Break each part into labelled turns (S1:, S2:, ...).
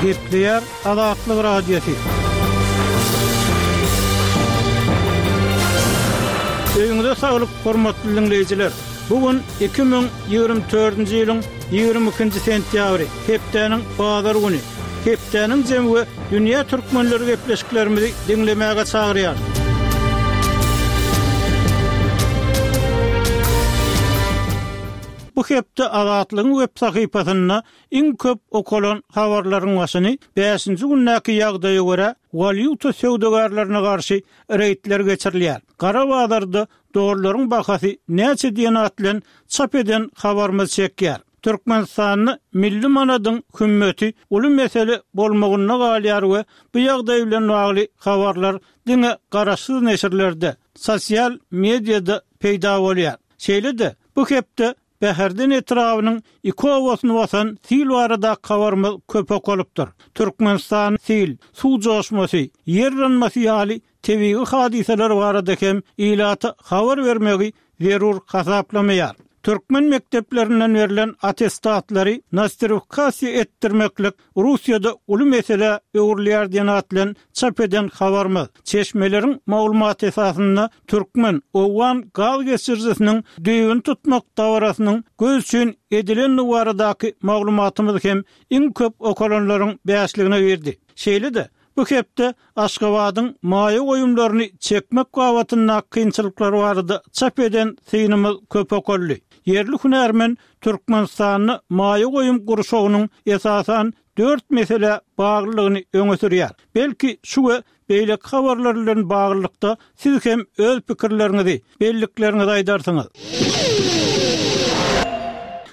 S1: Gepleýär Azatlyk Radiosy. Öýüňize saglyk, hormatly diňleýjiler! Bu gün 2024-nji ýylyň 22-nji sentýabry, hepdäniň bazar güni. Hepdäniň jemi we dünýä türkmenleri gepleşiklerimizi diňlemäge çagyrýar. Bu hepde Azatlygyň web sahypasynda iň köp okalan habarlaryň başyny bäşinji gündäki ýagdaýa görä walýuta söwdagärlerine garşy reýdler geçirilýär. Gara bazarda dollaryň bahasy näçe diýen at bilen çap eden habarymyz çekýär. Türkmenistanda milli manadyň hümmeti uly mesele bolmagynda galýar we bu ýagdaý bilen bagly habarlar diňe garaşsyz neşirlerde, sosial mediada peýda bolýar. Şeýle-de, bu hepde Bäherden etrabynyň iki obasyny basan sil baradaky habarymyz köp okalypdyr. Türkmenistan sil, suw joşmasy, ýer yranmasy ýaly tebigy hadysalar barada hem ilata habar bermegi zerur hasaplamaýar. Türkmen mekdeplerinden berlen attestatlary nostrifikasiýa etdirmeklik Russiýada uly meselä öwrülýär diýen at bilen çap eden habarymyz, çeşmeleriň maglumaty esasynda türkmen, owgan gaz geçirijisiniň düýbüni tutmak dabarasynyň göz üçin edilendigi baradaky maglumatymyz hem iň köp okalanlaryň bäşligine girdi. Şeýle-de, Bu hepde Aşgabadyň maýa goýumlaryny çekmek babatyndaky kynçylyklar barada çap eden synymyz köp okaldy. Ýerli hünärmen Türkmenistanda maýa goýum gurşawynyň esasan dört meselä baglydygyny öňe sürýär. Belki şu we beýleki habarlar bilen baglylykda siz hem öz pikirleriňizi, bellikleriňizi aýdarsyňyz.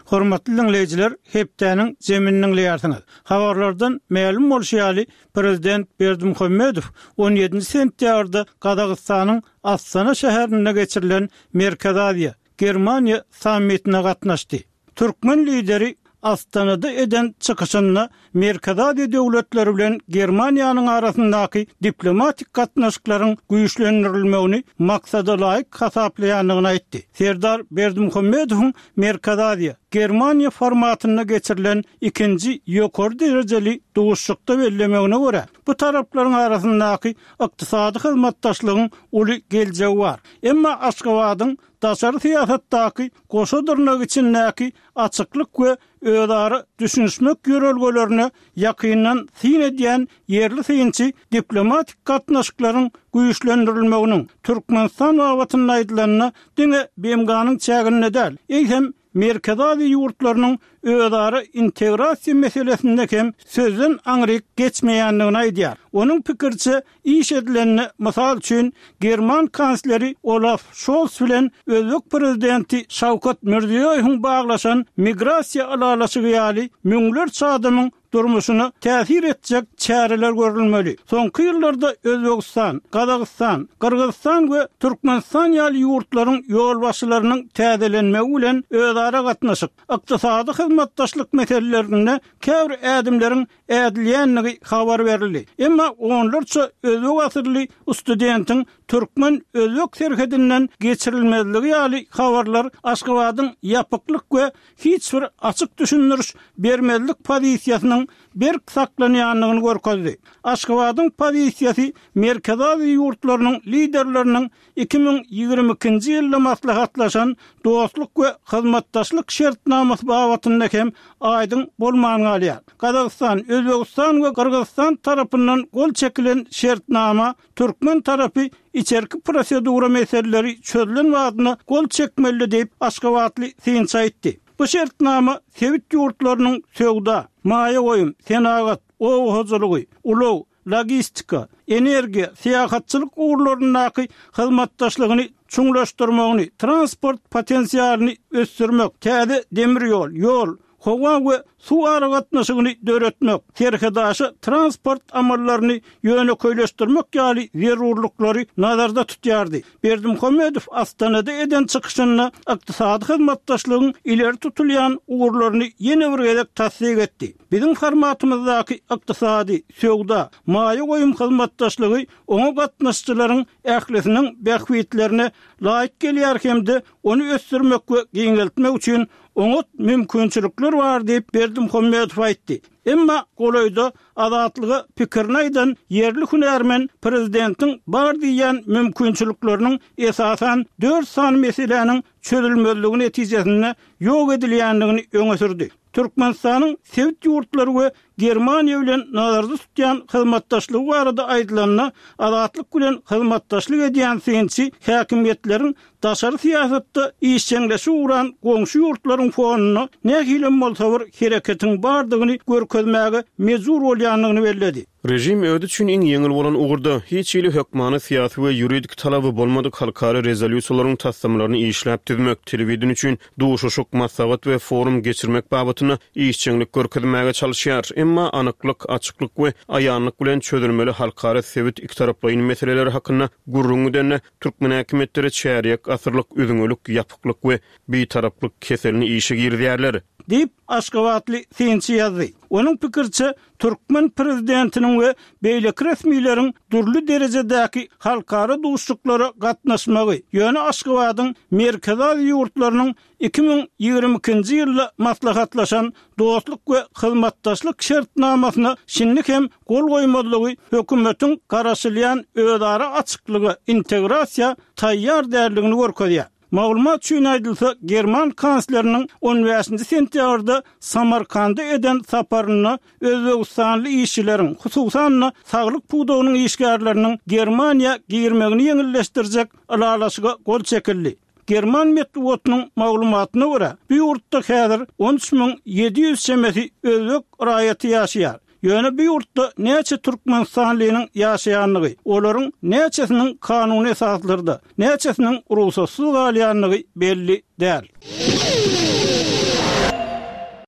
S1: Hormatly diňleýjiler, hepdäniň jemini diňleýärsiňiz. Habarlardan mälim bolşy ýaly, prezident Berdimuhamedow on ýedinji sentýabrda Gazagystanyň Astana şäherinde geçirilen Merkezi Aziýa, Germaniýa sammitine gatnaşdy. Türkmen lideri Astanada eden çykyşynda Merkezi Aziýa döwletleri bilen Germaniýanyň arasyndaky diplomatik gatnaşyklaryň güýçlendirilmegini maksadalaýyk hasaplaýandygyny aýtdy. Serdar Berdimuhamedowyň Merkezi Aziýa, Germaniýa formatynda geçirilen ikinji ýokary derejeli duşuşykda bellemegine görä, bu taraplaryň arasyndaky ykdysady hyzmatdaşlygyň uly geljegi bar. Emma Aşgabadyň daşary syýasatdaky goşa dyrnak içindäki açyklyk we özara düşünişmek ýörelgelerine ýakyndan syn edýän ýerli synçy diplomatik gatnaşyklaryň güýçlendirilmeginiň, Türkmenistan babatynda aýdylanda, diňe BMG-niň çäginde däl, eýsem, Merkezi Aziýa ýurtlarynyň özara integrasiýa meselesinde hem sözden aňryk geçmeýändigini aýdýar. Onuň pikiriçe, iş edilende, mysal üçin, german kansleri Olaf Şols bilen özbek prezidenti Şawkat Mirziýoýewiň baglaşan migrasiýa ylalaşygy ýaly müňlerçe adamyň durmuşyna täsir etjek çäreler görülmeli. Soňky ýyllarda Özbegistan, Gazagystan, Gyrgyzystan we Türkmenistan ýaly ýurtlaryň ýolbaşçylarynyň täzelenmegi bilen özara gatnaşyk, ykdysady hyzmatdaşlyk meselelerinde käbir ädimleriň ädilýändigi habar berildi. Emma onlarça özbek asylly studentiň türkmen-özbek serhedinden geçirilmezligi ýaly habarlar Aşgabadyň ýapyklyk we hiç bir açyk düşündiriş bermezlik pozisiýasynyň berk saklanýandygyny görkezdi. Aşgabadyň pozisiýasy Merkezi Aziýa ýurtlarynyň liderleriniň 2022-nji ýylda maslahatlaşan Dostluk we hyzmatdaşlyk şertnamasy babatynda hem aýdyň bolman galýar. Gazagystan, Özbegistan we Gyrgyzystan tarapyndan gol çekilen şertnama Türkmen tarapy içerki prosedura meseleleri çözlen badyna gol çekmeli diýip, aşgabatly synçy aýtdy. Bu şertnama sebit ýurtlarynyň söwda, maýa goýum, senagat, oba hojalygy, ulag, logistika, energiýa, syýahatçylyk ugurlaryndaky hyzmatdaşlygyny çuňlaşdyrmagyny, transport potensialyny ösdürmek, täze demir ýol, ýol, howa we suw aragatnaşygyny döretmek, serhetaşa transport amallaryny ýönekeýleşdirmek ýaly zerurlyklary nazarda tutýardy. Berdimuhamedow Astanada eden çykyşynda ykdysady hyzmatdaşlygyň ileri tutulýan ugurlaryny ýene bir gezek tassyk etdi. Biziň formatymyzdaky ykdysady, söwda, maýa goýum hyzmatdaşlygy oňa gatnaşyjylaryň ählisiniň bähbitlerine laýyk gelýär hem-de ony ösdürmek we giňeltmek üçin oňat mümkinçilikler bar diýip, Berdimuhamedow aýtdy. Emma golaýda Azatlyga pikirini aýdan ýerli hünärmen prezidentiň bar diýýän mümkinçilikleriniň esasan dört sany meseläniň çözülmezligi netijesinde ýok edilýändigini öňe sürdi. Türkmenistanyň sebit ýurtlary we Germaniýa bilen nazarda tutýan hyzmatdaşlygy barada aýdylanda, Azatlyk bilen hyzmatdaşlyk edýän synçy häkimiýetleriň daşary syýasatda işjeňleşip ugran goňşy ýurtlaryň fonunda nähilem bolsa bir hereketiň bardygyny görkezmäge mejbur bolýandygyny belledi.
S2: Režim özi üçin iň ýeňil bolan ugurda, hiç hili hökmany syýasy we ýuridik talaby bolmadyk halkara rezolýusiýalaryň taslamalaryny işläp düzmek, telewideniýe üçin duşuşyk, maslahat we forum geçirmek babatynda işjeňlik görkezmäge çalyşýar. Emma anyklyk, açyklyk we aýanlyk bilen çözülmeli halkara, sebit, ikitaraplaýyn meseleleri hakynda gürrüň gidende, türkmen häkimiýetleri çärýek asyrlyk üzňelik, ýapyklyk we bitaraplyk keselini işe girizýärler.
S1: Diýip, aşgabatly synçy ýazdy. Onuň pikiriçe, Türkmen prezidentiniň we beýleki resmileriň dürli derejedäki halkara duşuşyklara gatnaşmagy, ýöne Aşgabadyň Merkezi Aziýa ýurtlarynyň 2022-nji ýylda maslahatlaşan Dostluk we hyzmatdaşlyk şertnamasyna şindi hem gol goýmazlygy hökümetiň garaşylýan özara açyklyga, integrasiýa taýýar däldigini görkezýär. Maglumat üçin aýdylsa, german kansleriniň on bäşinji sentýabrda Samarkanda eden saparynda özbegistanly işçileriň, hususan-da, saglyk pudagynyň işgärleriniň Germaniýa girmegini ýeňilleşdirjek ylalaşyga gol çekildi. German metbugatynyň maglumatyna görä, bu ýurtda häzir 13 700 çemesi özbek raýaty ýaşaýar. Ýöne bu ýurtda näçe türkmenistanlynyň ýaşaýandygy, olaryň näçesiniň kanuny esaslarda, näçesiniň rugsatsyz galýandygy belli däl.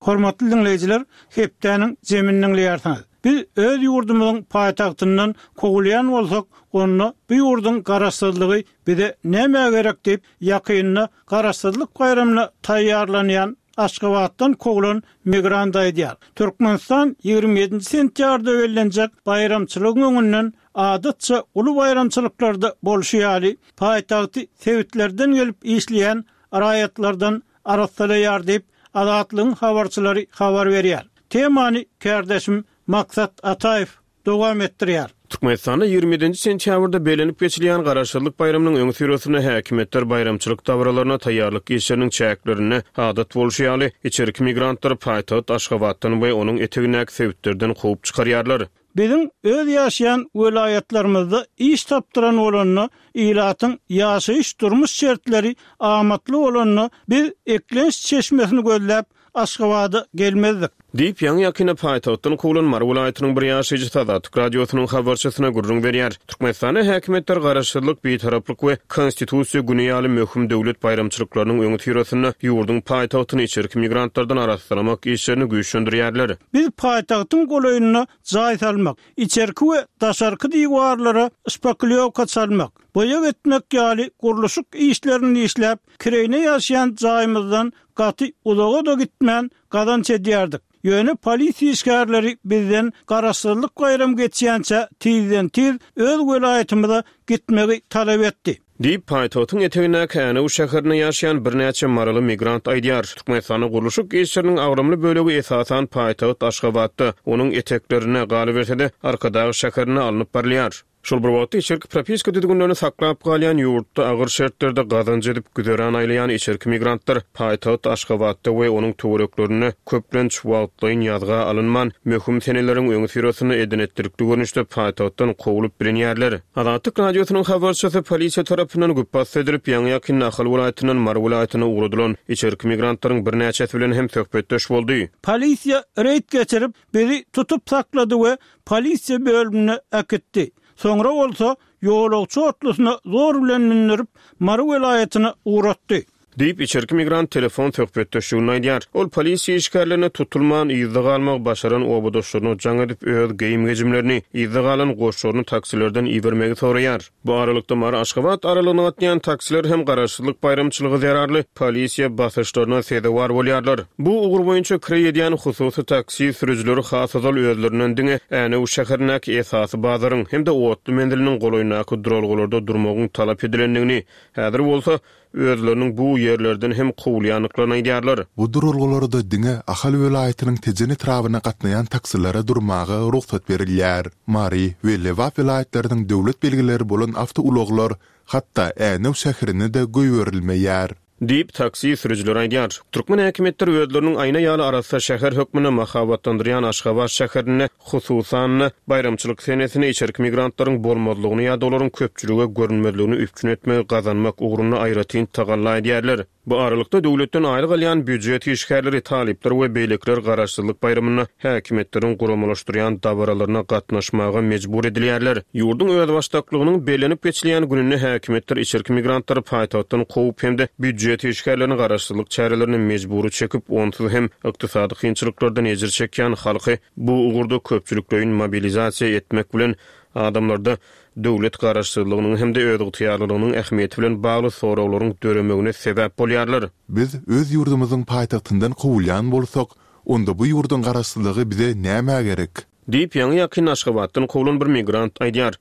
S1: Hormatly diňleýjiler, hepdäniň jemini diňleýärsiňiz. Biz öz ýurdumyzyň paýtagtyndan kowulýan bolsak, onda bu ýurduň garaşsyzlygy bize nämä gerek diýip, ýakynda Garaşsyzlyk baýramyna taýýarlanýan Aşgabatdan kowlan migrant aýdýar. Türkmenistan 27-nji sentýabrda bellenjek baýramçylygyň öňünden adatça uly baýramçylyklarda bolşy ýaly, paýtagty sebitlerden gelip işleýän raýatlardan arassalaýar diýip, Azatlygyň habarçylary habar berýär. Temany kärdeşim Maksat Ataýew dowam etdirýär.
S2: Türkmenistanda 27-nji sentýabrda bellenip geçilýän Garaşsyzlyk baýramynyň öňüsyrasynda häkimiýetler baýramçylyk dabaralaryna taýýarlyk işleriniň çäklerinde, adat bolşy ýaly, içerki migrantlary paýtagt Aşgabatdan we onuň etegindäki sebitlerden kowup çykarýarlar.
S1: Biziň öz ýaşaýan welaýatlarymyzda iş tapdyran bolanda, ilatyň ýaşaýyş-durmuş şertleri amatly bolanda biz eklenç çeşmesini gözläp Aşgabada gelmezdik.
S2: Diýip, ýaňy-ýakynda paýtagtdan kowlan Mary welaýatynyň bir ýaşaýjysy Azatlyk Radiosynyň habarçysyna gürrüň berýär. Türkmenistanda häkimiýetler Garaşsyzlyk, Bitaraplyk we Konstitusiýa güni ýaly möhüm döwlet baýramçylyklarynyň öňüsyrasynda ýurduň paýtagtyny içerki migrantlardan arassalamak işlerini güýçlendirýärler.
S1: Biz paýtagtyň golaýynda jaý salmak, içerki we daşarky diwarlara şpaklýowka çalmak, boýag etmek ýaly gurluşyk işlerini işläp, kireýine ýaşaýan jaýymyzdan Gaty uzaga-da gitmän gazanç edýärdik. Ýöne polisiýa işgärleri bizden Garaşsyzlyk baýramy geçýänçä tizden-tiz öz welaýatymyza gitmegi talap etdi.
S2: Diýip, paýtagtyň etegindäki Änew şäherinde ýaşaýan birnäçe maryly migrant aýdýar. Türkmenistanda gurluşyk işleriniň agramly bölegi esasan paýtagt Aşgabatda, onuň eteklerinde, galyberse-de, Arkadag şäherinde alnyp barylýar. Şol bir wagtda, içerki propiska düzgünlerini saklap galýan ýurtda agyr şertlerde gazanç edip güzeran aýlaýan içerki migrantlar paýtagt Aşgabatda we onuň töwereklerinde köplenç wagtlaýyn ýazga alynman, möhüm seneleriň öňüsyrasynda eden-etdilikli görnüşde paýtagtdan kowlup bilinýärler. Azatlyk Radiosynyň habarçysy polisiýa tarapyndan güpbasdy edilip, ýaňy-ýakynda Ahal welaýatyndan Mary welaýatyna ugradylan içerki migrantlaryň birnäçesi bilen hem söhbetdeş boldy.
S1: Polisiýa reýd geçirip, bizi tutup saklady we polisiýa bölümine äkitdi. Soňra bolsa ýolagçy otlusyna zor bilen mündürip, Mary welaýatyna ugratdy.
S2: Diýip, içerki migrant telefon söhbetdeşliginde aýdýar. Ol polisiýa işgärlerine tutulman, yzda galmagy başaran obadaşlaryna jaň edip, öz geýim-gejimlerini, yzda galan goşlaryny taksilerden ibermegi soraýar. Bu aralykda, Mary-Aşgabat aralygyna gatnaýan taksiler hem Garaşsyzlyk baýramçylygy zerarly polisiýa basyşlaryna sezewar bolýarlar. Bu ugur boýunça kireý edýän hususy taksi sürüjileri has ozal özlerinden diňe Änew şäherindäki esasy bazaryň hem-de otly menziliniň golaýyndaky duralgalarda durmagyň talap edilendigini, häzir bolsa, özleriniň bu ýerlerden hem kowulýandyklaryny aýdýarlar.
S3: Bu duralgalarda diňe Ahal welaýatynyň Tejen etrabyna gatnaýan taksilere durmaga rugsat berilýär. Mary we Lebap welaýatlarynyň döwlet belgileri bolan awtoulaglar hatda Änew şäherine-de goýberilmeýär.
S2: Diýip, taksi sürüjileri aýdýar. Türkmen häkimiýetleri özleriniň aýna ýaly arassa şäher hökmünde mahabatlandyrýan Aşgabat şäherinde, hususan-da, baýramçylyk senesinde içerki migrantlaryň bolmazlygyny ýa-da olaryň köpçülige görünmezligini üpjün etmegi gazanmak ugrunda aýratyn tagalla edýärler. Bu aralykda, döwletden aýlyk alýan býujet işgärleri, talyplar we beýlekiler Garaşsyzlyk baýramynda häkimiýetleriň guramalaşdyrýan dabaralaryna gatnaşmaga mejbur edilýärler. Ýurduň özbaşdaklygynyň bellenip geçilýän gününde häkimiýetler içerki migrantlary paýtagtdan kowup hem-de býujet işgärlerini garaşsyzlyk çärelerine mejbury çekip, onsuz hem ykdysady kynçylyklardan ejir çekýän halky bu ugurda köpçülikleýin mobilizasiýa etmek bilen adamlarda döwlet garaşsyzlygynyň hem-de özygtyýarlylygynyň ähmiýeti bilen bagly soraglaryň döremegine sebäp bolýarlar.
S3: Biz öz ýurdumyzyň paýtagtyndan kowulýan bolsak, Onda bu ýurduň garaşsyzlygy bize nämä gerek?
S2: Diýip, ýaňy-ýakynda Aşgabatdan kowlan bir migrant aýdýar.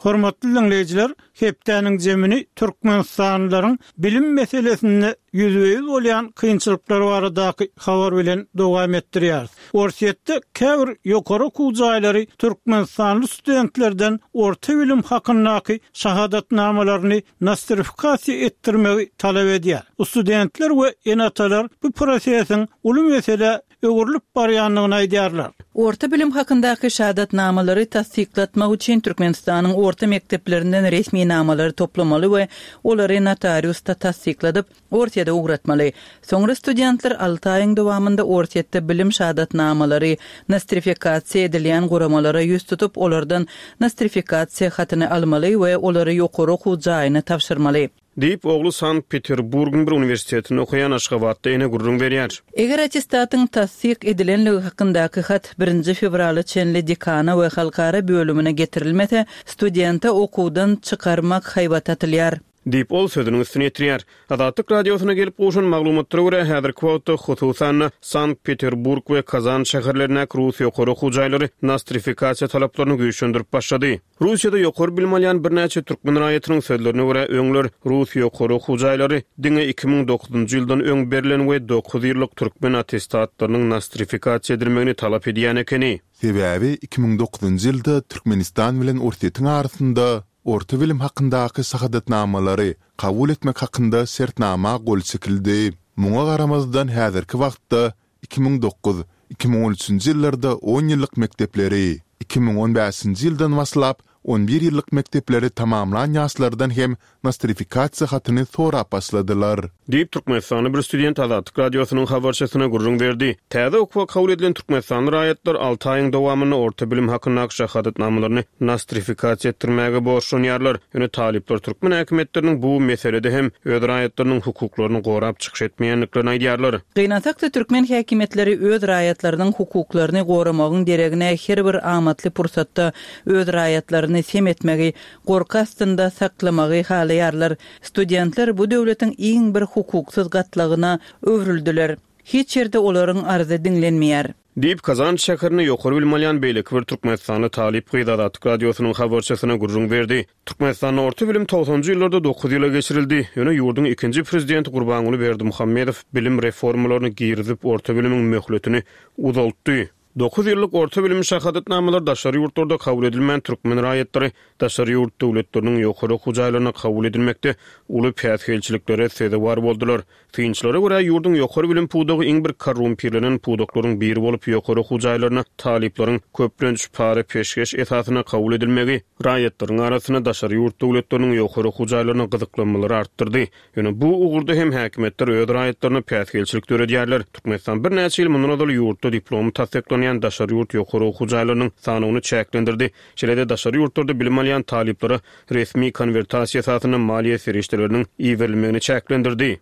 S1: Hormatly diňleýjiler, hepdäniň jemini türkmenistanlylaryň bilim meselesinde ýüzbe-ýüz bolýan kynçylyklary baradaky habar bilen dowam etdirýäris. Orsýetde käbir ýokary okuw jaýlary türkmenistanly studentlerden orta bilim hakyndaky şahadatnamalaryny nostrifikasiýa etdirmegi talap edýär. Studentler we ene-atalar bu prosesiň uly meselä öwrülip barýandygyny aýdýarlar.
S4: Orta bilim hakyndaky şahadatnamalary tassyklatmak üçin Türkmenistanyň orta mekdeplerinden resminamalary toplamaly we olary notariusda tassykladyp, Orsýete ugratmaly. Soňra studentler alty aýyň dowamynda Orsýetde bilim şahadatnamalary nostrifikasiýa edilýän guramalara ýüz tutup, olardan nostrifikasiýa hatyny almaly we olary ýokary okuw jaýyna tabşyrmaly.
S2: Diýip, ogly Sankt-Peterburgyň bir uniwersitetinde okaýan aşgabatly ene gürrüň berýär.
S4: Eger attestatyň tassyk edilenligi hakyndaky hat birinji fewrala çenli dekana we halkara bölümine getirilmese, studente okuwdan çykarmak haýbaty atylýar.
S2: Diýip, ol sözüniň üstüni ýetirýär. Azatlyk Radiosyna gelip gowşan maglumatlara görä, häzirki wagtda, hususan-da, Sankt-Peterburg we Kazan şäherlerindäki rus ýokary okuw jaýlary nostrifikasiýa talaplaryny güýçlendirip başlady. Russiýada ýokary bilim alýan birnäçe türkmen raýatynyň sözlerine görä, öňler rus ýokary okuw jaýlary diňe 2009-njy ýyldan öň berlen we dokuz ýyllyk türkmen attestatlarynyň nostrifikasiýa edilmegini talap edýän ekeni.
S3: Sebäbi 2009-njy ýylda Türkmenistan bilen Orsýetiň arasynda Orta bilim hakyndaky şahadatnamalary kabul etmek hakynda şertnama gol çekildi. Muňa garamazdan häzirki wagtda 2009, 2013-nji ýyllarda on ýyllyk mekdepleri, 2015-nji ýyldan başlap on bir ýyllyk mekdepleri tamamlan ýaşlardan hem nostrifikasiýa hatyny sorap başladylar.
S2: Diýip, türkmenistanly bir student Azatlyk Radiosynyň habarçysyna gürrüň berdi. Täze okuwa kabul edilen türkmenistanly raýatlar alty aýyň dowamynda orta bilim hakyndaky şahadatnamalaryny nostrifikasiýa etdirmäge borçlanýarlar. Ýöne talyplar türkmen häkimiýetleriniň bu meselede hem öz raýatlarynyň hukuklaryny gorap çykyş etmeýändiklerini aýdýarlar.
S4: Gynansak-da, türkmen häkimiýetleri öz raýatlarynyň hukuklaryny goramagyň deregine her bir amatly pursatda öz raýatlaryny sem etmegi, gorky astynda saklamagy halaýarlar. Studentler bu döwletiň iň bir hukuksyz gatlagyna öwrüldiler. Hiç ýerde olaryň arzy diňlenmeýär.
S2: Diýip, Kazan şäherinde ýokary bilim alýan beýleki bir türkmenistanly talyp gyz Azatlyk Radiosynyň habarçysyna gürrüň berdi. Türkmenistanda orta bilim togsanjy ýyllarda dokuz ýyla geçirildi. Ýöne ýurduň ikinji prezidenti Gurbanguly Berdimuhamedow bilim reformalaryny girizip, orta bilimiň möhletini uzaltdy. Dokuz ýyllyk orta bilim şahadatnamalary daşary ýurtlarda kabul edilmän, türkmen raýatlary daşary ýurt döwletleriniň ýokary okuw jaýlaryna kabul edilmekde uly päsgelçiliklere sezewar boldular. Synçylara görä, ýurduň ýokary bilim pudagy iň bir korrumpirlenen pudaklaryň biri bolup, ýokary okuw jaýlaryna talyplaryň köplenç para-peşgeş esasynda kabul edilmegi raýatlaryň arasynda daşary ýurt döwletleriniň ýokary okuw jaýlaryna gyzyklanmalary artdyrdy. Ýöne bu ugurda hem häkimiýetler öz raýatlaryna päsgelçilik döredýärler. Türkmenistan birnäçe ýyl mundan ozal ýurtda diplomy tassyklanýan daşary ýurt ýokary okuw jaýlarynyň sanawyny çäklendirdi. Şeýle-de daşary ýurtlarda bilim alýan talyplara resmi konwertasiýa esasynda maliýe serişdeleriniň iberilmegini çäklendirdi.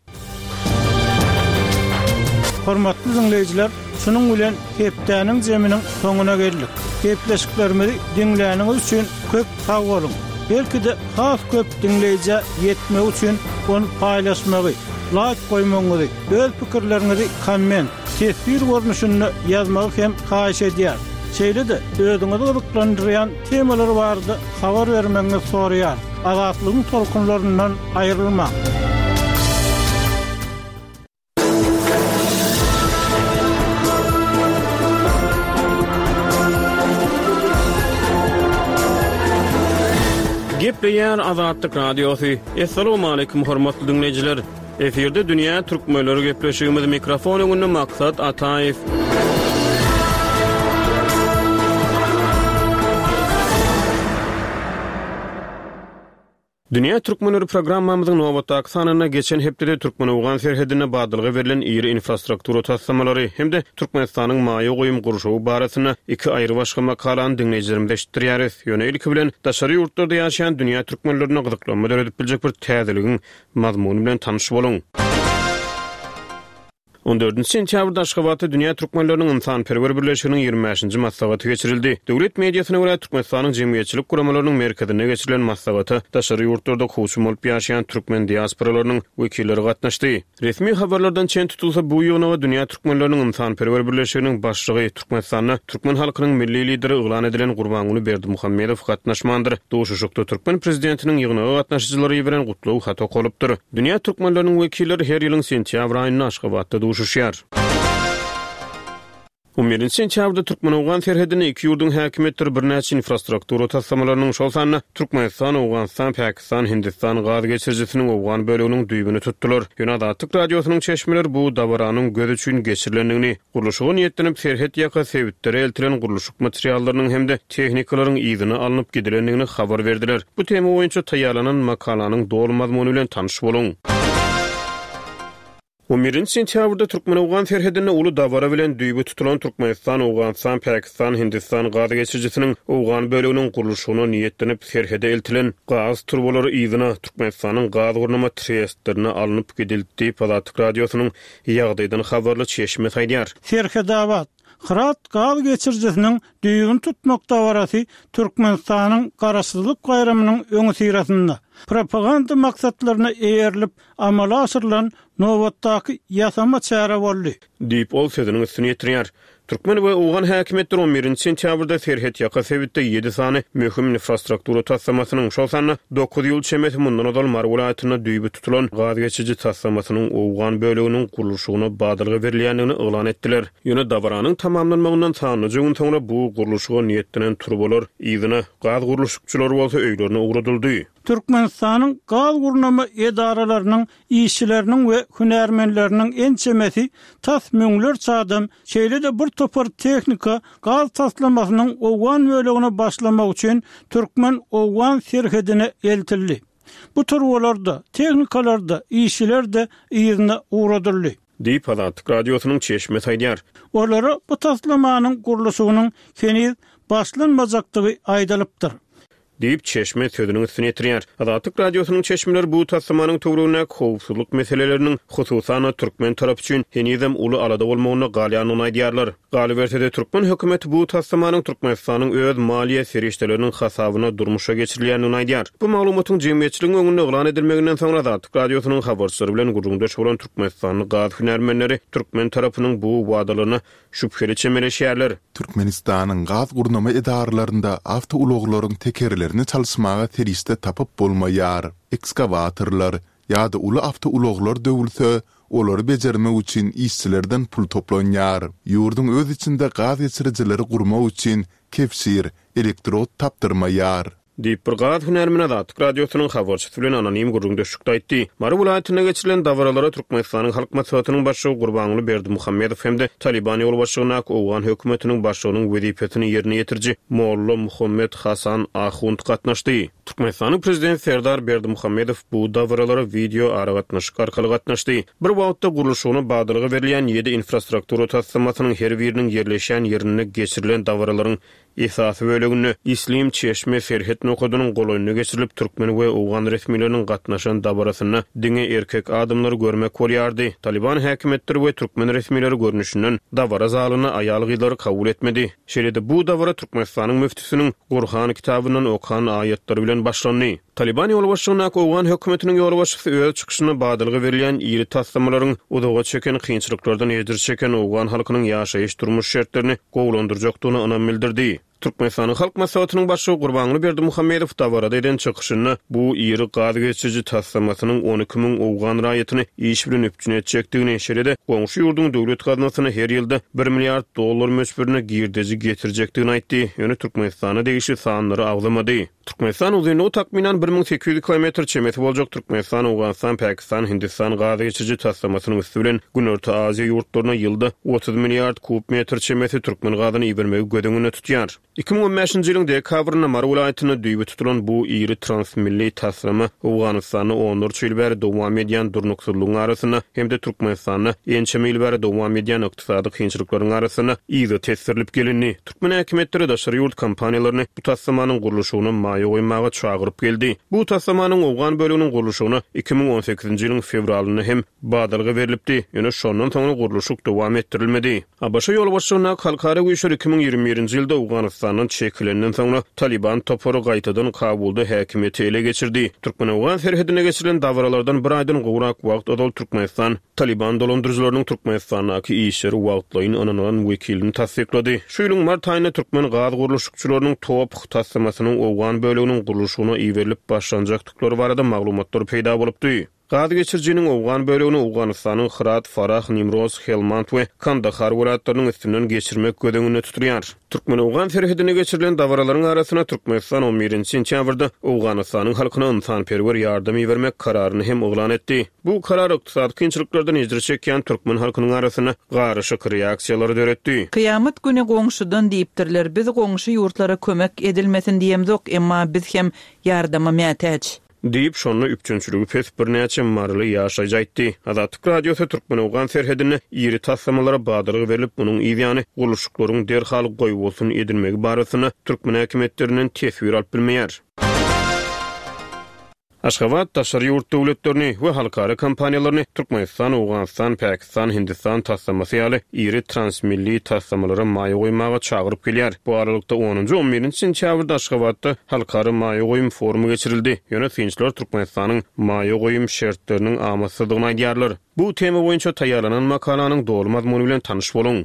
S1: Hormatly diňleýjiler, şunuň bilen hepdäniň jeminiň soňuna geldik. Gepleşiklerimizi diňläniňiz üçin köp sag boluň! Belki-de has köp diňleýjä ýetmegi üçin ony paýlaşmagy, laýk goýmagyňyzy, öz pikirleriňizi komment, teswir görnüşinde ýazmagy hem haýyş edýäris. Şeýle-de özüňizi gyzyklandyrýan temalar barada habar bermegiňizi soraýarys. Azatlygyň tolkunlaryndan aýrylmaň!
S2: Gepleýär Azatlyk Radiosy. Assalamualaikum hormatly diňleýjiler. Efirde dünýä türkmenleri gepleşigimiz mikrofon öňünde Maksat Ataýew. Dünýä türkmenleri programmamyzyň nobatdaky sanynda geçen hepdede türkmen-owgan serhedinde badalga berlen iri infrastruktura taslamalary hem-de Türkmenistanyň maýa goýum gurşawy barasynda iki aýrybaşga makalany diňleýjilerimize eşitdirýäris. Ýöne ilki bilen daşary ýurtlarda ýaşaýan dünýä türkmenlerinde gyzyklanma döredip biljek bir täzeligiň mazmuny bilen tanyş boluň. On dördünji sentýabrda Aşgabatda Dünýä türkmenleriniň ynsanperwer birleşiginiň ýigrimi bäşinji maslahaty geçirildi. Döwlet mediasyna görä, Türkmenistanyň jemgyýetçilik guramalarynyň merkezinde geçirilen maslahata daşary ýurtlarda kowçum bolup ýaşaýan türkmen diasporalarynyň wekilleri gatnaşdy. Resmi habarlardan çen tutulsa, bu ýygnaga Dünýä türkmenleriniň ynsanperwer birleşiginiň başlygy, Türkmenistanda türkmen halkynyň Milli Lideri yglan edilen Gurbanguly Berdimuhamedow gatnaşmandyr. Duşuşykda türkmen prezidentiniň ýygnaga gatnaşyjylara iberen gutlag haty okalypdyr. Dünýä türkmenleriniň wekilleri her ýylyň sentýabr aýynda Aşgabatda duşuşýar. On birinji sentýabrda türkmen-owgan serhedinde iki ýurduň häkimiýetleri birnäçe infrastruktura taslamalarynyň, şol sanda Türkmenistan, Owganystan, Pakistan, Hindistan gaz geçirijisiniň owgan böleginiň düýbüni tutdular. Ýöne Azatlyk Radiosynyň çeşmeleri bu dabaranyň göz üçin geçirilendigini, gurluşyga niýetlenip serhet ýaka sebitlere eltilen gurluşyk materiallarynyň hem-de tehnikalaryň yzyna alnyp gidilendigini habar berdiler. Bu tema boýunça taýýarlanan makalanyň doly mazmuny bilen tanyş boluň. On birinji sentýabrda türkmen-owgan serhedinde uly dabara bilen düýbi tutulan Türkmenistan, Owganystan, Pakistan, Hindistan gaz geçirijisiniň owgan böleginiň gurluşygyna niýetlenip serhede eltilen gaz turbalary yzyna, Türkmenistanyň gaz gurnama trestlerine alnyp gidildi diýip, Azatlyk Radiosynyň ýagdaýdan habarly çeşmesi aýdýar.
S1: Serhedabat, Hyrat gaz geçirijisiniň düýbüni tutmak dabarasy Türkmenistanyň Garaşsyzlyk baýramynyň öňüsyrasynda, propaganda maksatlaryna eýerilip amala aşyrylan nobatdaky ýasama çäre boldy.
S2: Diýip, ol sözüniň üstüni ýetirýär. Türkmen we owgan häkimiýetleri on birinji sentýabrda serhetýaka sebitde ýedi sany möhüm infrastruktura taslamasynyň, şol sanda dokuz ýyl çemesi mundan ozal Mary welaýatynda düýbi tutulan gaz geçiriji taslamasynyň owgan böleginiň gurluşygyna badalga berilýändigini yglan etdiler. Ýöne dabaranyň tamamlanmagyndan sanlyja gün soňra bu gurluşyga niýetlenen turbalar yzyna, gaz gurluşykçylary bolsa öýlerine ugradyldy.
S1: Türkmenistanyň gaz gurnama edaralarynyň işçileriniň we hünärmenleriniň ençemesi, tas müňlerçe adam, şeýle-de bir topar tehnika gaz taslamasynyň owgan bölegine başlamak üçin türkmen-owgan serhedine eltildi. Bu turbalar-da, tehnikalar-da, işçiler-de yzyna ugradyldy.
S2: Diýip, Azatlyk Radiosynyň çeşmesi aýdýar.
S1: Olara bu taslamanyň gurluşygynyň heniz başlanmajakdygy aýdylypdyr.
S2: Diýip, çeşme sözüniň üstüni ýetirýär. Azatlyk Radiosynyň çeşmeleri bu taslamanyň töweregindäki howpsuzlyk meseleleriniň, hususan-da, türkmen tarapy üçin henizem uly alada bolmagynda galýandygyny aýdýarlar. Galyberse-de, türkmen hökümeti bu taslamanyň Türkmenistanyň öz maliýe serişdeleriniň hasabyna durmuşa geçirilýändigini aýdýar. Bu maglumatyň jemgyýetçiligiň öňünde yglan edilmeginden soňra Azatlyk Radiosynyň habarçylary bilen gürrüňdeş bolan türkmenistanly gaz hünärmenleri türkmen tarapynyň bu wadalaryna şübheli çemeleşýärler.
S3: Türkmenistanyň gaz gurnama edaralarynda awtoulaglaryň tekerlerini çalyşmaga serişde tapyp bolmaýar. Ekskawatorlar ýa-da uly awtoulaglar döwülse, olary bejermek üçin işçilerden pul toplanýar. Ýurduň öz içinde gaz geçirijileri gurmak üçin kebşir, elektrod tapdyrmaýar.
S2: Diýip, bir gaz hünärmeni Azatlyk Radiosynyň habarçysy bilen anonim gürrüňdeşlikde aýtdy. Mary welaýatynda geçirilen dabaralara Türkmenistanyň Halk Maslahatynyň Başlygy Gurbanguly Berdimuhamedow hem-de Talyban ýolbaşçylygyndaky owgan hökümetiniň başlygynyň wezipesini ýerine ýetiriji Molla Muhammet Hasan Ahund gatnaşdy. Türkmenistanyň Prezidenti Serdar Berdimuhamedow bu dabaralara wideo aragatnaşyk arkaly gatnaşdy. Bir wagtda gurluşygyna badalga berilýän ýedi infrastruktura taslamasynyň her biriniň ýerleşýän ýerinde geçirilen dabaralaryň Esasy böleginde Islim çeşme serhet nokadynyň golaýynda geçirilip, türkmen we owgan resmileriniň gatnaşan dabarasynda diňe erkek adamlary görmek bolýardy. Talyban häkimiýetleri we türkmen resmileri görnüşinden dabara zalyna aýal-gyzlary kabul etmedi. Şeýle-de bu dabara Türkmenistanyň müftüsiniň Gurhan kitabyndan okan aýatlary bilen başlandy. Talyban ýolbaşçylygyndaky owgan hökümetiniň ýolbaşçysy öz çykyşynda badalga berilýän iri taslamalaryň uzaga çeken kynçylyklardan ejir çeken owgan halkynyň ýaşaýyş-durmuş şertlerini gowulandyrjakdygyna ynam bildirdi. Türkmenistanyň Halk Maslahatynyň Başlygy Gurbanguly Berdimuhamedow dabarada eden çykyşynda bu iri gaz geçiriji taslamasynyň 12 müň owgan raýatyny iş bilen üpjün etjekdigini, şeýle-de goňşy ýurduň döwlet gaznasyna her ýylda bir milliard dollar möçberinde girdeji getirjekdigini aýtdy, ýöne Türkmenistana degişli sanlary agzamady. Türkmenistan uzynlygy takmynan 1800 kilometr çemesi boljak Türkmenistan, Owganystan, Pakistan, Hindistan gaz geçiriji taslamasynyň üsti bilen Günorta Aziýa ýurtlaryna ýylda 30 milliard kub metr çemesi türkmen gazyny ibermegi göz öňünde tutýar. 2015-nji ýylyň dekabrynda Mary welaýatynda düýbi tutulan bu iri transmilli taslama Owganystanda onlarça ýyl bäri dowam edýän durnuksyzlygyň arasynda hem-de Türkmenistanda ençeme ýyl bäri dowam edýän ykdysady kynçylyklaryň arasynda yza tesdirilip gelindi. Türkmen häkimiýetleri daşary ýurt kompaniýalaryny bu taslamanyň gurluşygyna maýa goýmaga çagyryp geldi. Bu taslamanyň owgan böleginiň gurluşygyna 2018-nji ýylyň fewralynda hem badalga berlipdi, ýöne şondan soňra gurluşyk dowam etdirilmedi. ABŞ ýolbaşçylygyndaky halkara güýçler 2021-nji ýylda Owganystandan çekilenden soňra Talyban topary gaýtadan Kabulda häkimiýeti ele geçirdi. Türkmen-owgan serhedinde geçirilen dabaralardan bir aýdan gowrak wagt ozal Türkmenistan Talyban dolandyryjylarynyň Türkmenistandaky işleri wagtlaýyn ynanylan wekilini tassyklady. Şu ýylyň mart aýynda türkmen gaz gurluşykçylarynyň TOPH taslamasynyň owgan böleginiň gurluşygyna iberilip başlanjakdyklary barada maglumatlar peýda bolupdy. Gaz geçirijiniň owgan bölegini Owganystanyň Hyrat, Farah, Nimroz, Helmand we Kandahar welaýatlarynyň üstünden geçirmek göz öňünde tutulýar. Türkmen-owgan serhedinde geçirilen dabaralaryň arasynda Türkmenistan on birinji sentýabrda Owganystanyň halkyna ynsanperwer ýardam ibermek kararyny hem yglan etdi. Bu karar ykdysady kynçylyklardan ejir çekýän türkmen halkynyň arasynda garyşyk reaksiýalary döretdi.
S4: Kyýamat güni goňşudan diýipdirler, biz goňşy ýurtlara kömek edilmesin diýemzok, emma biz hem ýardama mätäç.
S2: Diýip, şonda üpjünçiligi pes birnäçe maryly ýaşaýjy aýtdy. Azatlyk Radiosy türkmen-owgan serhedinde iri taslamalara badalga berlip, munuň yzýany gurluşyklaryň derhal goýbolsun edilmegi barasynda türkmen häkimiýetlerinden teswir alyp bilmeýär. Aşgabat daşary ýurt döwletlerini we halkara kompaniýalaryny Türkmenistan, Owganystan, Pakistan, Hindistan taslamasy ýaly iri transmilli taslamalara maýa goýmaga çagyryp gelýär. Bu aralykda, onunjy, on birinji sentýabrda Aşgabatda Halkara maýa goýum forumy geçirildi. Ýöne synçylar Türkmenistanyň maýa goýum şertleriniň amatsyzdygyny aýdýarlar. Bu tema boýunça taýýarlanan makalanyň doly mazmuny bilen tanyş boluň.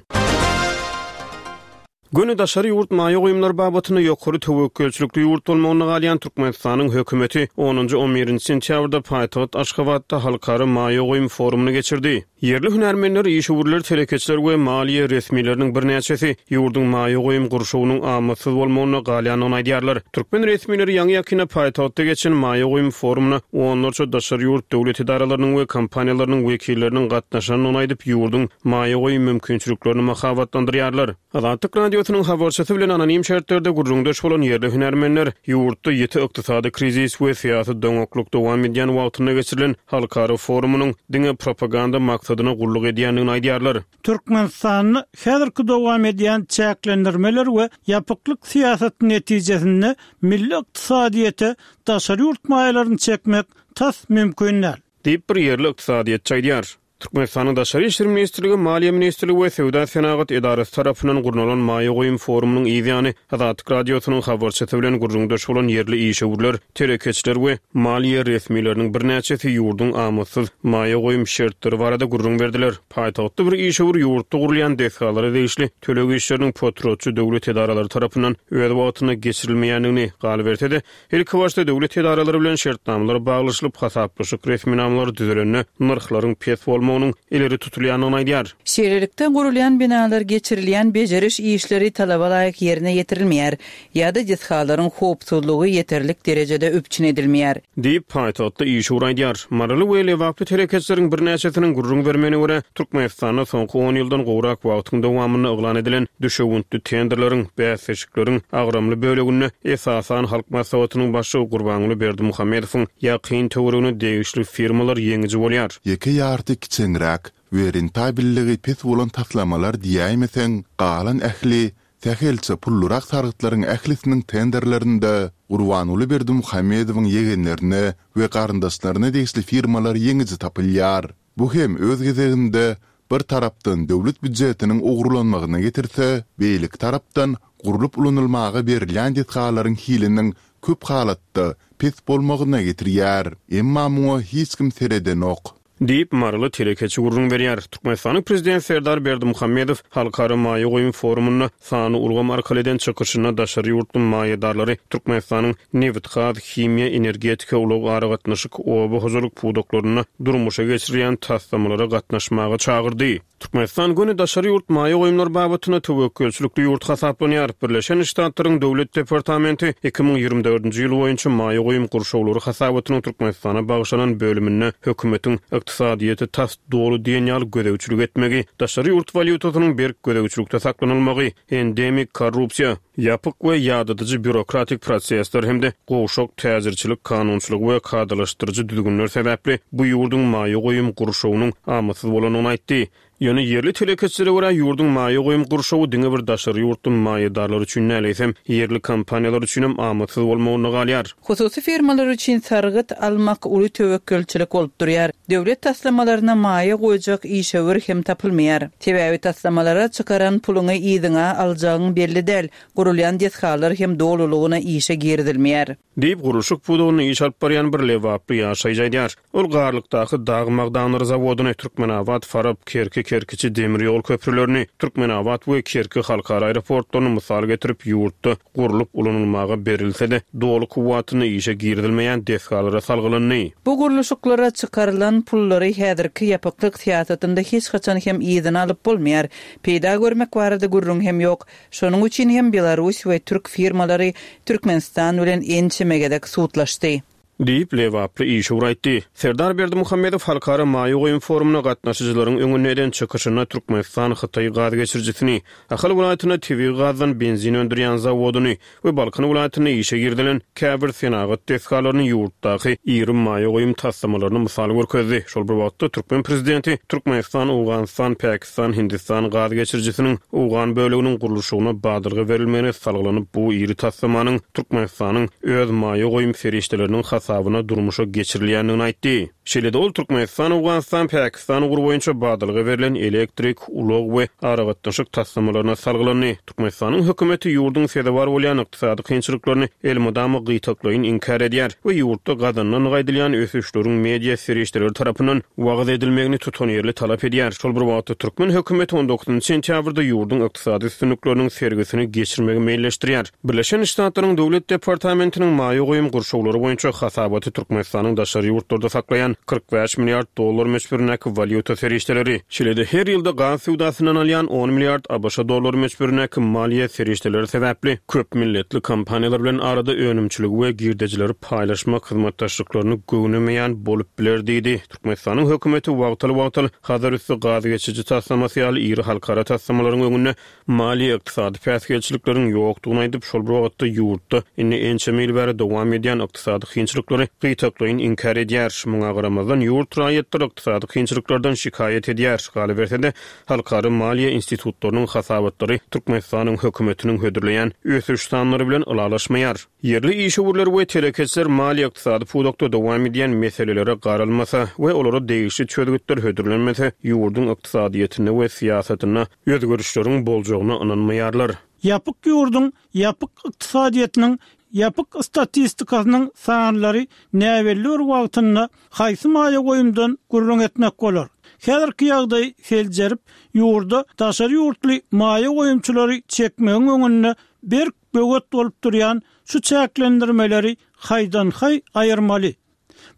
S2: Göni daşary ýurt maýa goýumlary babatynda ýokary töwekgelçilikli ýurt bolmagynda galýan Türkmenistanyň hökümeti onunjy, on birinji sentýabrda paýtagt Aşgabatda halkara maýa goýum forumyny geçirdi. Ýerli hünärmenler, işewürler, telekeçiler we maliýe resmileriniň birnäçesi ýurduň maýa goýum gurşawynyň amatsyz bolmagynda galýandygyny aýdýarlar. Türkmen resmileri ýaňy-ýakynda paýtagtda geçen maýa goýum forumyna onlarça daşary ýurt döwlet edaralarynyň we kompaniýalarynyň wekilleriniň gatnaşandygyny aýdyp, ýurduň maýa goýum mümkinçiliklerini mahabatlandyrýarlar. Azatlyk Radiosynyň habarçysy bilen anonim şertlerde gürrüňdeş bolan ýerli hünärmenler ýurtda ýiti ykdysady krizis we syýasy doňaklyk dowam edýän wagtynda geçirilen halkara forumynyň diňe propaganda maksadyna gulluk edýändigini aýdýarlar.
S1: Türkmenistanda häzirki dowam edýän çäklendirmeler we ýapyklyk syýasaty netijesinde milli ykdysadyýete daşary ýurt maýalaryny çekmek tas mümkin däl.
S2: Diýip, bir ýerli ykdysadyýetçi aýdýar. Türkmenistanyň Daşary işler ministrligi, Maliýe ministrligi we Söwda-senagat edarasy tarapyndan gurnalan maýa goýum forumynyň yz ýany, Azatlyk Radiosynyň habarçysy bilen gürrüňdeş bolan ýerli işewürler, telekeçiler we maliýe resmileriniň birnäçesi ýurduň amatsyz maýa goýum şertleri barada gürrüň berdiler. Paýtagtda bir işewür ýurtda gurulýan desgalara degişli töleg işleriniň potratçy döwlet edaralary tarapyndan öz wagtynda geçirilmeýändigini, galyberse-de, Ilkibaşda döwlet edaralary bilen şertnamalar baglaşylyp, hasaplaşyk resminamalary düzülende nyrhlaryň pes bolmagynyň ileri tutulýandygyny aýdýar.
S4: Şeýlelikde, gurulýan binalar geçirilýän bejeriş işleri talaba laýyk ýerine ýetirilmeýär ýa-da desgalaryň howpsuzlygy ýeterlik derejede üpjün edilmeýär.
S2: Diýip, paýtagtda işewür aýdýar. Maryly we lebaply telekeçileriň birnäçesiniň gürrüň bermegine görä, Türkmenistanda soňky on ýyldan gowrak wagtyň dowamynda yglan edilen düşewüntli tenderleriň, bäsleşikleriň agramly böleginde esasan Halk Maslahatynyň Başlygy Gurbanguly Berdimuhamedowyň ýakyn töweregine degişli firmalar ýeňiji bolýar.
S3: Ýeke ýarty kiçeňräk we rentabelligi pes bolan taslamalar diýäýmeseň, galan ähli Sähelçe pullurak sargytlaryň ählisiniň tenderlerinde Gurbanguly Berdimuhamedowyň ýegenlerine we garyndaşlaryna degişli firmalar ýeňiji tapylýar. Bu hem öz gezeginde bir tarapdan döwlet býujetiniň ogurlanmagyna getirse, beýleki tarapdan gurlup ulanylmaga berilýän desgalaryň hiliniň köp halatda pes bolmagyna getirýär. Emma muňa hiç kim seredenok.
S2: Diýip, maryly telekeçi gürrüň berýär. Türkmenistanyň Prezidenti Serdar Berdimuhamedow Halkara maýa goýum forumynda sanly ulgam arkaly eden çykyşynda daşary ýurtly maýadarlary Türkmenistanyň nebitgaz, himiýa, energetika, ulag-aragatnaşyk, oba hojalyk pudaklarynda durmuşa geçirilýän taslamalara gatnaşmaga çagyrdy. Türkmenistan göni daşary ýurt maýa goýumlary babatynda töwekgelçilikli ýurt hasaplanýar. Birleşen Ştatlaryň Döwlet departamenti 2024-nji ýyl boýunça maýa goýum gurşawlary hasabatynyň Türkmenistana bagyşlanan bölüminde hökümetiň ykdysadyýete tas doly diýen ýaly gözegçilik etmegi, daşary ýurt walýutasynyň berk gözegçilikde saklanylmagy, endemik korrupsiýa, ýapyk we ýadadyjy býurokratik prosesler hem-de gowşak täjirçilik kanunçylygy we kadalaşdyryjy düzgünler sebäpli bu ýurduň maýa goýum gurşawynyň amatsyz bolandygyny aýtdy. Ýöne ýerli telekeçilere görä, ýurduň maýa goýum gurşawy diňe bir daşary ýurtly maýadarlar üçin däl, eýsem, ýerli kompaniýalar üçinem amatsyz bolmagynda galýar.
S4: Hususy firmalar üçin sargyt almak uly töwekgelçilik bolup durýar. Döwlet taslamalaryna maýa goýjak işewür hem tapylmaýar. Sebäbi taslamalara çykaran puluňy yzyňa aljagyň belli däl, gurulýan desgalar hem dolulygyna işe girizilmeýär.
S2: Diýip, gurluşyk pudagynda iş alyp barýan bir lebaply ýaşaýjy aýdýar. Ol Garlykdaky dag magdanlary zawodyny, Türkmenabat, Farap, Kerki, Kerkiçi demir ýol köprülerini, Türkmenabat we Kerki halkara aeroportlaryny mysal getirip, ýurtda gurlup ulanylmaga berilse-de, doly kuwwatynda işe girizilmeýän desgalara salgylandy.
S4: Bu gurluşyklara çykarylan pullary häzirki ýapyklyk syýasatynda hiç haçan hem yzyna alyp bolmaýar. Peýda görmek barada gürrüň hem ýok. Şonuň üçin hem belarus we türk firmalary Türkmenistan bilen ençeme gezek sudlaşdy.
S2: Diýip, lebaply işewür aýtdy. Serdar Berdimuhamedow Halkara maýa goýum forumyna gatnaşyjylaryň öňünde eden çykyşynda Türkmenistan-Hytaý gaz geçirijisini, Ahal welaýatynda tebigy gazdan benzin öndürýän zawodyny we Balkan welaýatynda işe girizilen käbir senagat desgalaryny ýurtdaky iri maýa goýum taslamalaryna mysal görkezdi. Şol bir wagtda, türkmen prezidenti Türkmenistan, Owganystan, Päkistan, Hindistan gaz geçirijisiniň owgan böleginiň gurluşygyna badalga berilmegine salgylanyp, bu iri taslamanyň Türkmenistanyň öz maýa goýum serişdeleriniň hasabyna durmuşa geçirilýändigini aýtdy. Şeýle-de ol Türkmenistan, Owganystan, Päkistan ugry boýunça badalga berlen elektrik, ulag we aragatnaşyk taslamalaryna salgylandy. Türkmenistanyň hökümeti ýurduň sezewar bolýan ykdysady kynçylyklaryny elmydama gytaklaýyn inkär edýär we ýurtda gazanylandygy aýdylýan ösüşleriň media serişdeleri tarapyndan wagyz edilmegini tutanýerli talap edýär. Şol bir wagtda, türkmen hökümeti on dokuzynjy sentýabrda ýurduň ykdysady üstünlikleriniň sergisini geçirmegi meýilleşdirýär. Birleşen Ştatlaryň Döwlet departamentiniň maýa goýum gurşawlary boýunça hasabaty Türkmenistanyň daşary ýurtlarda saklaýan 45 milliard dollar möçberindäki walýuta serişdeleri, şeýle-de her ýylda gaz söwdasyndan alýan on milliard ABŞ dollary möçberindäki maliýe serişdeleri sebäpli köp milletli kompaniýalar bilen arada önümçiligi we girdejileri paýlaşmak hyzmatdaşlyklaryny göwnemeýän bolup biler diýdi. Türkmenistanyň hökümeti wagtal-wagtal Hazarüsti gaz geçiriji taslamasy ýaly iri halkara taslamalaryň öňünde maliýe-ykdysady päsgelçilikleriň ýokdugyny aýdyp, şol bir wagtda ýurtda indi ençeme ýyl bäri dowam edýän ykdysady kynçylyklary gytaklaýyn inkär edýär. Muňa garamazdan, ýurt raýatlary ykdysady kynçylyklardan şikaýat edýär. Galyberse-de, halkara maliýe institutlarynyň hasabatlary Türkmenistanyň hökümetiniň hödürleýän ösüş sanlary bilen ylalaşmaýar. Ýerli işewürler we telekeçiler maliýe-ykdysady pudakda dowam edýän meselelere garalmasa we olara degişli çözgütler hödürlenmese, ýurduň ykdysadyýetinde we syýasatynda özgerişleriň boljagyna ynanmaýarlar.
S1: Ýapyk ýurduň ýapyk ykdysadyýetiniň ýapyk statistikasynyň sanlary näbelli bir wagtynda haýsy maýa goýumdan gürrüň etmek bolar? Häzirki ýagdaýy seljerip, ýurda daşary ýurtly maýa goýumçylary çekmegiň öňünde berk böwet bolup durýan şu çäklendirmeleri haýdan-haý aýyrmaly.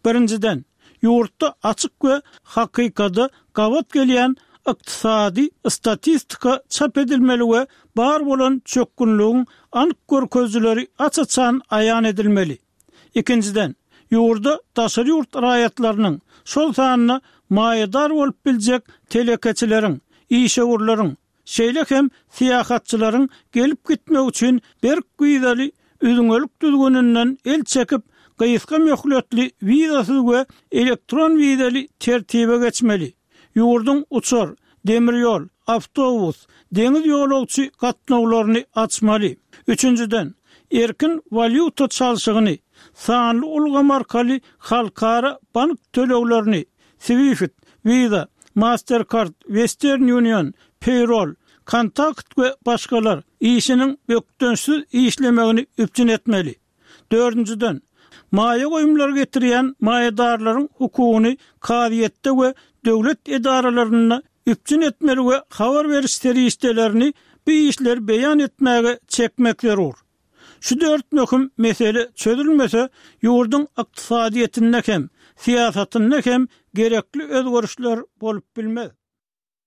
S1: Birinjiden, ýurtda açyk we hakykada gabat gelýän ykdysady statistika çap edilmeli we bar bolan çökgünligiň anyk görkezijileri aç-açan aýan edilmeli. Ikinjiden, ýurda daşary ýurt raýatlarynyň, şol sanda maýadar bolup biljek telekeçileriň, işewürleriň, Şeýle hem syýahatçylaryň gelip-gitmegi üçin berk wizaly üzňelik düzgüninden el çekip, gysga möhletli wizasyz we elektron wizaly tertibe geçmeli. Ýurduň uçar, demir ýol, awtobus, deňiz ýolagçy gatnawlaryny açmaly. Üçünjiden, erkin walýuta çalşygyny, sanly ulgam arkaly halkara bank töleglerini, Swift, Visa, Mastercard, Western Union, Payroll, Kontakt we başgalar, işiniň bökdençsiz işlemegini üpjün etmeli. Dördünjiden, Maýa goýumlary getirýän maýadarlaryň hukugyny kazyýetde we döwlet edaralarynda üpjün etmeli we habar beriş serişdelerini bu işleri beýan etmäge çekmek zerur. Şu dört möhüm mesele çözülmese, ýurduň ykdysadyýetinde hem, syýasatynda hem gerekli özgerişler bolup bilmez.